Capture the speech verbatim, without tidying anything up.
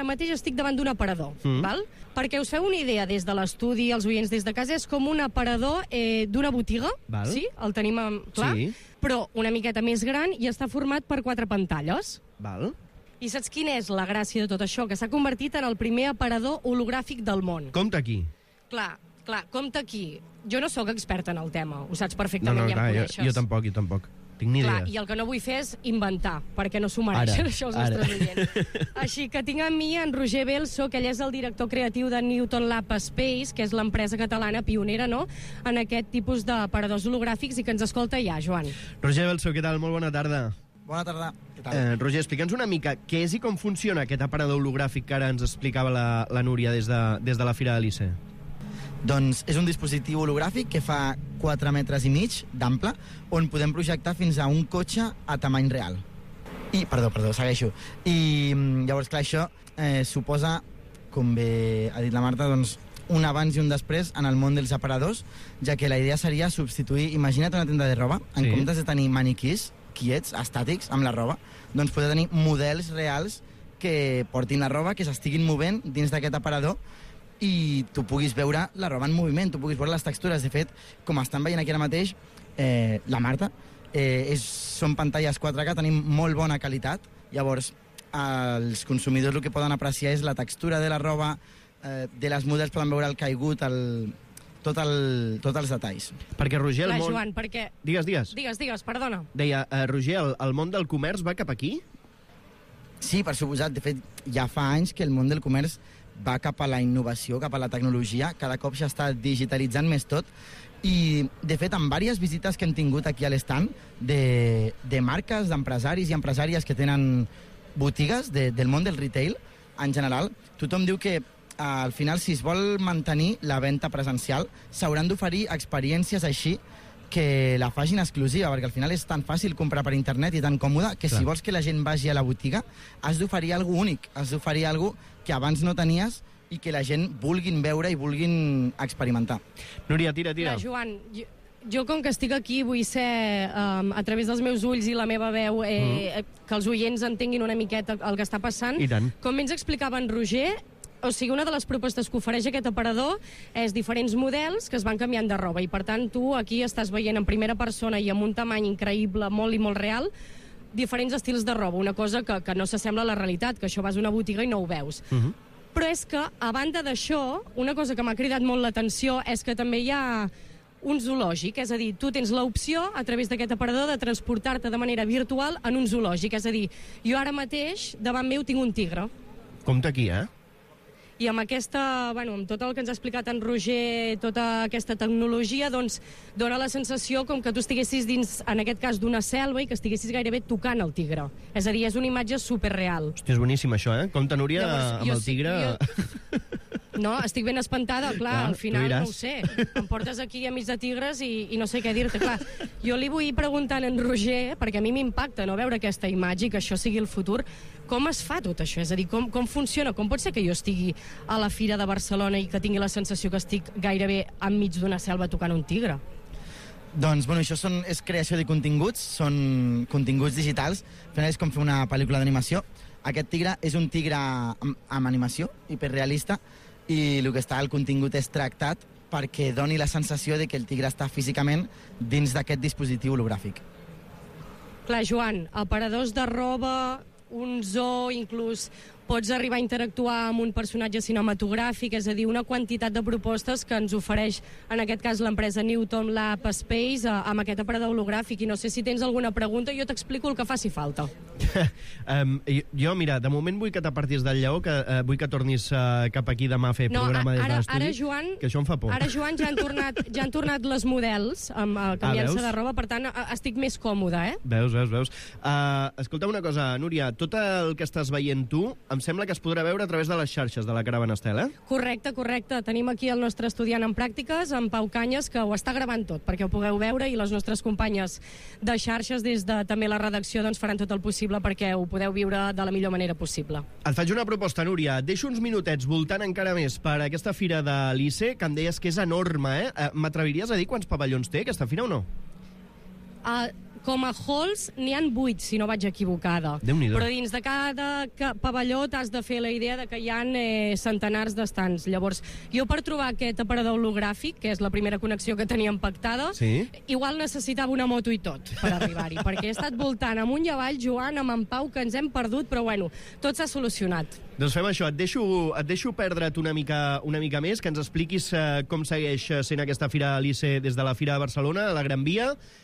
ara mateix estic davant d'un aparador, mm. val? Perquè us feu una idea des de l'estudi, els oients des de casa, és com un aparador eh, d'una botiga, val. Sí? El tenim clar, sí. Però una miqueta més gran i està format per quatre pantalles. Val. I saps quina és la gràcia de tot això? Que s'ha convertit en el primer aparador hologràfic del món. Compte aquí. Clar, clar, compte aquí. Jo no sóc experta en el tema, ho saps perfectament, no, no, ja em clar, coneixes. Jo, jo tampoc, jo tampoc. Tinc ni Clar, idea. i el que no vull fer és inventar, perquè no s'ho mereixen ara, això els ara. nostres oients. Així que tinc amb mi en Roger Belso, que ell és el director creatiu de Newton Lab Space, que és l'empresa catalana pionera, no?, en aquest tipus d'aparadors hologràfics, i que ens escolta ja, Joan. Roger Belso, què tal? Molt bona tarda. Bona tarda. Què tal? Eh, Roger, explica'ns una mica què és i com funciona aquest aparador hologràfic que ara ens explicava la, la Núria des de, des de la Fira de l'I C E. Doncs és un dispositiu hologràfic que fa quatre metres i mig d'ample, on podem projectar fins a un cotxe a tamany real. I, perdó, perdó, segueixo. I llavors, clar, això eh, suposa, com bé ha dit la Marta, doncs, un abans i un després en el món dels aparadors, ja que la idea seria substituir, imagina't una tenda de roba, en sí. comptes de tenir maniquís, quiets, estàtics, amb la roba, doncs poder tenir models reals que portin la roba, que s'estiguin movent dins d'aquest aparador, i tu puguis veure la roba en moviment, tu puguis veure les textures. De fet, com estan veient aquí ara mateix, eh, la Marta, eh, és, són pantalles quatre K, tenim molt bona qualitat, llavors els consumidors el que poden apreciar és la textura de la roba, eh, de les models poden veure el caigut, el, tot el, tots els detalls. Perquè, Roger, el Clar, món... Joan, perquè... Digues, digues. Digues, digues, perdona. Deia, eh, Roger, el, el món del comerç va cap aquí? Sí, per suposat. De fet, ja fa anys que el món del comerç va cap a la innovació, cap a la tecnologia, cada cop s'està digitalitzant més tot, i de fet en diverses visites que hem tingut aquí a l'estand de, de marques, d'empresaris i empresàries que tenen botigues de, del món del retail en general, tothom diu que al final, si es vol mantenir la venda presencial, s'hauran d'oferir experiències així que la facin exclusiva, perquè al final és tan fàcil comprar per internet i tan còmode que Clar. Si vols que la gent vagi a la botiga has d'oferir alguna únic, has d'oferir alguna que abans no tenies i que la gent vulguin veure i vulguin experimentar. Núria, tira, tira. Clar, Joan, jo, jo com que estic aquí vull ser, um, a través dels meus ulls i la meva veu, eh, mm. que els oients entenguin una miqueta el que està passant. I tant. Com ens explicava en Roger, o sigui, una de les propostes que ofereix aquest aparador és diferents models que es van canviant de roba, i per tant tu aquí estàs veient en primera persona i amb un tamany increïble, molt i molt real, diferents estils de roba, una cosa que, que no s'assembla a la realitat, que això vas a una botiga i no ho veus. Uh -huh. Però és que, a banda d'això, una cosa que m'ha cridat molt l'atenció és que també hi ha un zoològic, és a dir, tu tens l'opció a través d'aquest aparador de transportar-te de manera virtual en un zoològic, és a dir, jo ara mateix davant meu tinc un tigre. Compte aquí, eh? I amb aquesta, bueno, amb tot el que ens ha explicat en Roger, tota aquesta tecnologia, doncs dona la sensació com que tu estiguessis dins, en aquest cas, d'una selva i que estiguessis gairebé tocant el tigre. És a dir, és una imatge superreal. Hòstia, és boníssim això, eh? Compte, Núria, Llavors, amb el tigre... Jo... No, estic ben espantada, clar, clar al final no ho sé. Em portes aquí a mig de tigres i, i no sé què dir-te, clar. Jo li vull preguntar a en Roger, perquè a mi m'impacta no veure aquesta imatge i que això sigui el futur, com es fa tot això? És a dir, com, com funciona? Com pot ser que jo estigui a la Fira de Barcelona i que tingui la sensació que estic gairebé enmig d'una selva tocant un tigre? Doncs, bueno, això són, és creació de continguts, són continguts digitals, al final és com fer una pel·lícula d'animació. Aquest tigre és un tigre amb, amb animació, hiperrealista, i el que està al contingut és tractat perquè doni la sensació de que el tigre està físicament dins d'aquest dispositiu hologràfic. Clar, Joan, aparadors de roba, un zoo, inclús pots arribar a interactuar amb un personatge cinematogràfic, és a dir, una quantitat de propostes que ens ofereix, en aquest cas, l'empresa Newton Lab Space, amb aquest aparador hologràfic. I no sé si tens alguna pregunta, jo t'explico el que faci falta. um, jo, mira, de moment vull que t'apartis del lleó, que uh, vull que tornis uh, cap aquí demà a fer no, programa des ara, de l'estudi, ara, Joan, que això em fa por. Ara, Joan, ja han tornat, ja han tornat les models, amb, uh, canviant-se ah, de roba, per tant, uh, estic més còmoda, eh? Veus, veus, veus. Uh, escolta una cosa, Núria, tot el que estàs veient tu, em sembla que es podrà veure a través de les xarxes de la Caravana Estel, eh? Correcte, correcte. Tenim aquí el nostre estudiant en pràctiques, en Pau Canyes, que ho està gravant tot, perquè ho pugueu veure, i les nostres companyes de xarxes, des de també la redacció, doncs faran tot el possible perquè ho podeu viure de la millor manera possible. Et faig una proposta, Núria. Et deixo uns minutets voltant encara més per aquesta fira de l'I C E, que em deies que és enorme, eh? M'atreviries a dir quants pavellons té aquesta fira o no? Uh, com a halls n'hi han vuit, si no vaig equivocada. Déu-n'hi-do. Però dins de cada ca- pavelló t'has de fer la idea de que hi ha eh, centenars d'estants. Llavors, jo per trobar aquest aparador hologràfic, que és la primera connexió que teníem pactada, Sí. igual necessitava una moto i tot per arribar-hi, perquè he estat voltant amunt i avall, Joan, amb en Pau, que ens hem perdut, però bueno, tot s'ha solucionat. Doncs fem això, et deixo, et deixo perdre't una mica, una mica més, que ens expliquis eh, com segueix sent aquesta Fira Alice des de la Fira de Barcelona, a la Gran Via,